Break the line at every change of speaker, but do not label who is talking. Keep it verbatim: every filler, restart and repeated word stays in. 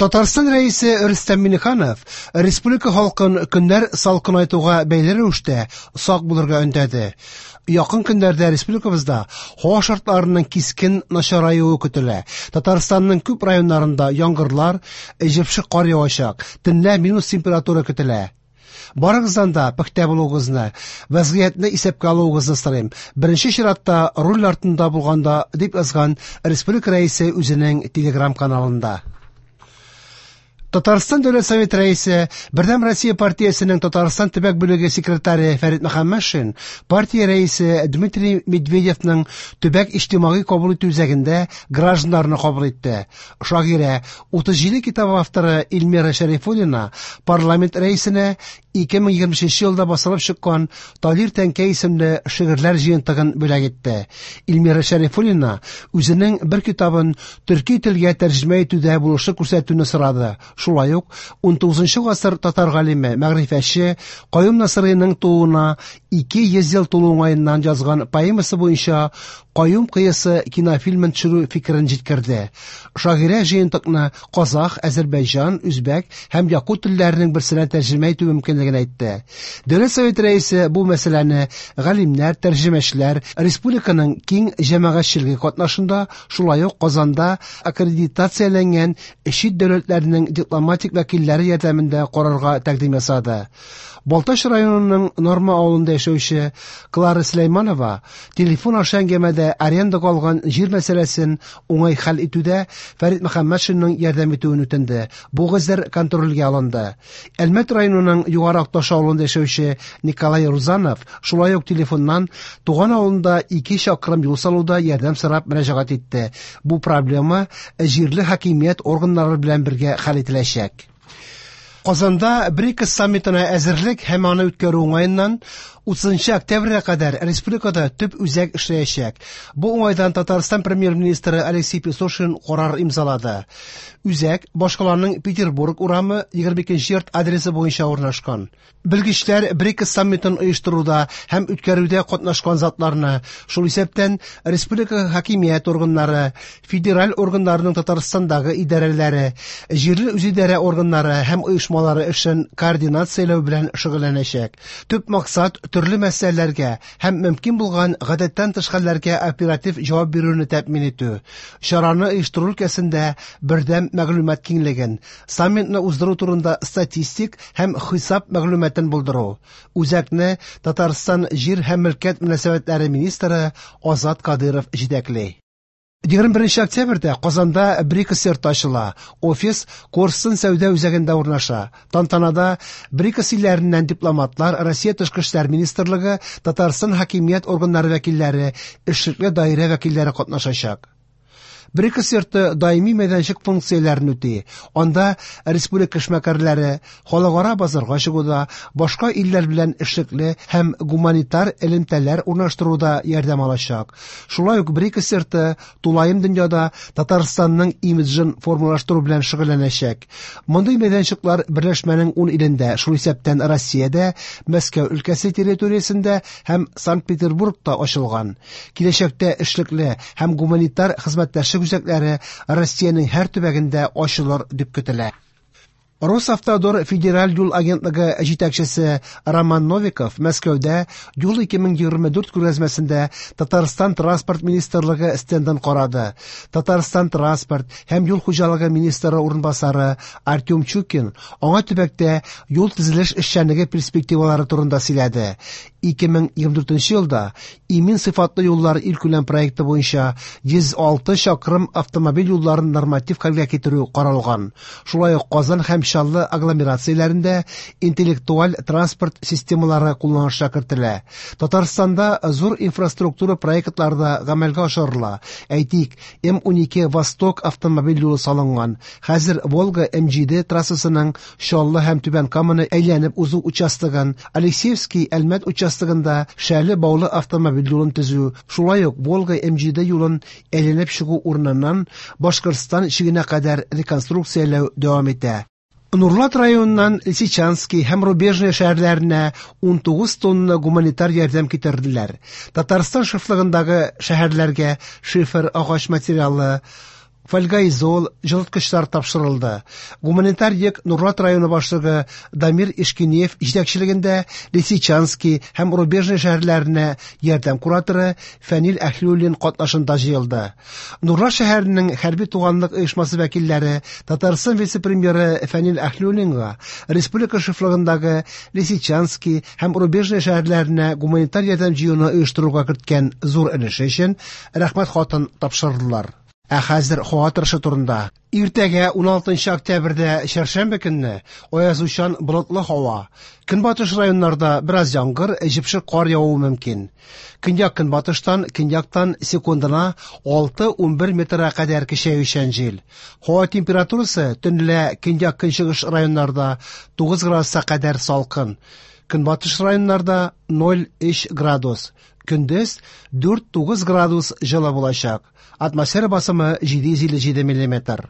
Татарстан Рәисе Рөстәм Миңнеханов республика халкын көннәр салкынайтуга бәйле рәвештә сак булырга өндәде. Якын көннәрдә республикабызда һава шартларының кискен начараюы көтелә. Татарстанның күп районнарында яңгырлар, җепшек кар явачак, төнлә минус температура көтелә. Барыгыздан да пөхтә булуыгызны, вәзгыятьне исәпкә алуыгызны сорыйм. Беренче чиратта руль артында булганда, дип язган республика рәисе үзенең телеграм-каналында. Татарстан Дәүләт Советы рәисе, Бердәм Россия партиясенең Татарстан төбәк бүлеге секретаре Фәрит Мөхәммәтшин партия рәисе Дмитрий Медведевның төбәк иҗтимагый кабул итү үзәгендә гражданнарны кабул итте. Шагыйрә, утыз җиде китап авторы Эльмира Шәрифуллина парламент рәисенә ике мең егерме өченче елда басылып чыккан Талир Тәнкә исемле шигырьләр җыентыгын бүләк итте. Эльмира Шәрифуллина үзенең бер китабын төрки телгә тәрҗемә итүдә булышлык күрсәтүне сорады. Шулай ук ун тугызынчы гасыр татар галиме, мәгърифәтче Каюм Насыйриның тууына ике йөз ел тулу уңаеннан язган поэмасы буенча Каюм кыясы кинофильмын төшерү фикерен җиткерде. Шагыйрә җыентыкны казах, әзербайҗан, үзбәк һәм якут телләренең берсенә тәрҗемә итү мөмкинлеген әйтте. Дәүләт Советы рәисе бу мәсьәләне галимнәр, тәрҗемәчеләр, республиканың киң җәмәгатьчелеге катнашында, шулай ук Казанда аккредитацияләнгән чит дәүләтләрнең дипломатик вәкилләре ярдәмендә карарга тәкъдим ясады. Балтач районының Норма авылында яшәүче Клара Сөләйманова телефон аша әңгәмәдә арендага алган җир мәсьәләсен уңай хәл итүдә Фәрит Мөхәммәтшинның ярдәм итүен үтенде. Бу гозер контрольгә алынды. Әлмәт районының Югары Акташ авылында яшәүче Николай Рузанов шулай ук телефоннан туган авылында ике чакрым юл салуда ярдәм сорап мөрәҗәгать итте. Бу проблема җирле хакимият органнары белән бергә хәл ителәчәк. Казанда БРИКС саммитына әзерлек һәм аны үткәрү уңаеннан утызынчы октябрьгә кадәр республикада төп үзәк эшләячәк. Бу уңайдан Татарстан премьер-министры Алексей Песошин карар имзалады. Үзәк башкаланың Петербург урамы егерме икенче йорт адресы буенча урнашкан. Белгечләр БРИКС саммитын оештыруда һәм үткәрүдә катнашкан затларны, шул исәптән республика хакимият органнары, федераль органнарының Татарстандагы идарәләре, җирле үзидарә органнары һәм оешмалары эшен координацияләү белән шөгыльләнәчәк. Төп максат төрле мәсьәләләргә һәм мөмкин булган гадәттән тыш хәлләргә оператив җавап бирүне тәэмин итү. Чараны оештыру өлкәсендә бердәм мәгълүмат киңлеген, саммитны уздыру турында статистик һәм хисап мәгълүматын булдыру. Үзәкне Татарстан җир һәм мөлкәт мөнәсәбәтләре министры Азат Кадыров җитәкли. Егерме беренче октябрьдә Казанда БРИКС йорты ачыла. Офис Корстон сәүдә үзәгендә урнаша. Тантанада БРИКС илләреннән дипломатлар, Россия Тышкы эшләр министрлыгы, Татарстан хакимият органнары вәкилләре, эшлекле даирә вәкилләре катнашачак. БРИКС йорты даими мәйданчык функцияләрен үти. Анда республика эшмәкәрләре халыкара базарга чыгуда, башка илләр белән эшлекле һәм гуманитар элемтәләр урнаштыруда ярдәм алачак. Шулай ук БРИКС йорты тулаем дөньяда Татарстанның имиджын формалаштыру белән шөгыльләнәчәк. Мондый мәйданчыклар берләшмәнең ун илендә, шул исәптән Россиядә, Мәскәү өлкәсе территориясендә һәм Санкт-Петербургта ачылган. Киләчәктә эшлекле һәм гуманитар хезмәттәшлек үзәкләре Россиянең һәр төбәгендә ачылыр дип көтелә. Росавтодор федераль юл агентлыгы җитәкчесе Роман Новиков Мәскәүдә юл ике мең егерме дүрт күргәзмәсендә Татарстан транспорт министрлыгы стендын карады. Татарстан транспорт һәм юл хуҗалыгы министры урынбасары Артем Чукин аңа төбәктә юл төзелеш эшчәнлеге перспективалары турында сөйләде. Ике мең егерме дүртенче елда имин сыйфатлы юллар илкүләм проекты буенча йөз алты чакрым автомобиль юлларын норматив хәлгә китерү каралган. Шулай ук Казан һәм Чаллы агломерацияләрендә интеллектуаль транспорт системалары кулланышка кертелә. Татарстанда зур инфраструктура проектлары да гамәлгә ашырыла. Әйтик, М унике Восток автомобиль юлы салынган. Хәзер Волга М җиде трассасының Чаллы һәм Түбән Каманы әйләнеп узу участогын, Алексеевский Әлмәт участогында Шәле Баулы автомобиль юлын төзү, шулай ук Волга М җиде юлын әйләнеп чыгу урыныннан Башкортстан чигенә кадәр реконструкцияләү дәвам итә. Нурлат районыннан Лисичанский һәм Рубежный шәһәрләренә ун тугыз тонна гуманитар ярдәм китерделәр. Татарстан шефлыгындагы шәһәрләргә шифер, агач материалы, фольгаизол, җылыткычлар тапшырылды. Гуманитар йөк Нурлат районы башлыгы Дамир Ишкинеев җитәкчелегендә Лисичански һәм Рубежный шәһәрләренә ярдәм кураторы Фәнил Әһлиуллин катнашында җыелды. Нурлат шәһәренең хәрби туганлык оешмасы вәкилләре Татарстан вице-премьеры Фәнил Әһлиуллинга республика шефлыгындагы Лисичански һәм Рубежный шәһәрләренә гуманитар ярдәм җыюны оештыруга керткән зур өлеше өчен рәхмәт хатын тапшырдылар. Ә хәзер һава торышы турында. Иртәгә уналтынчы октябрьдә чәршәмбе көнне аязучан болытлы һава. Көнбатыш районнарда бераз яңгыр, җепшек кар явуы мөмкин. Көньяк-көнбатыштан, көньяктан секундына алты-унбер метрга кадәр көчәючән җил. Һава температурасы төнлә көньяк-көнчыгыш районнарда тугыз градуска кадәр салкын. Көнбатыш районнарда ноль өч градус. Көндез дүрт-тугыз градус җылы булачак. Атмосфера басымы җиде йөз илле җиде миллиметр.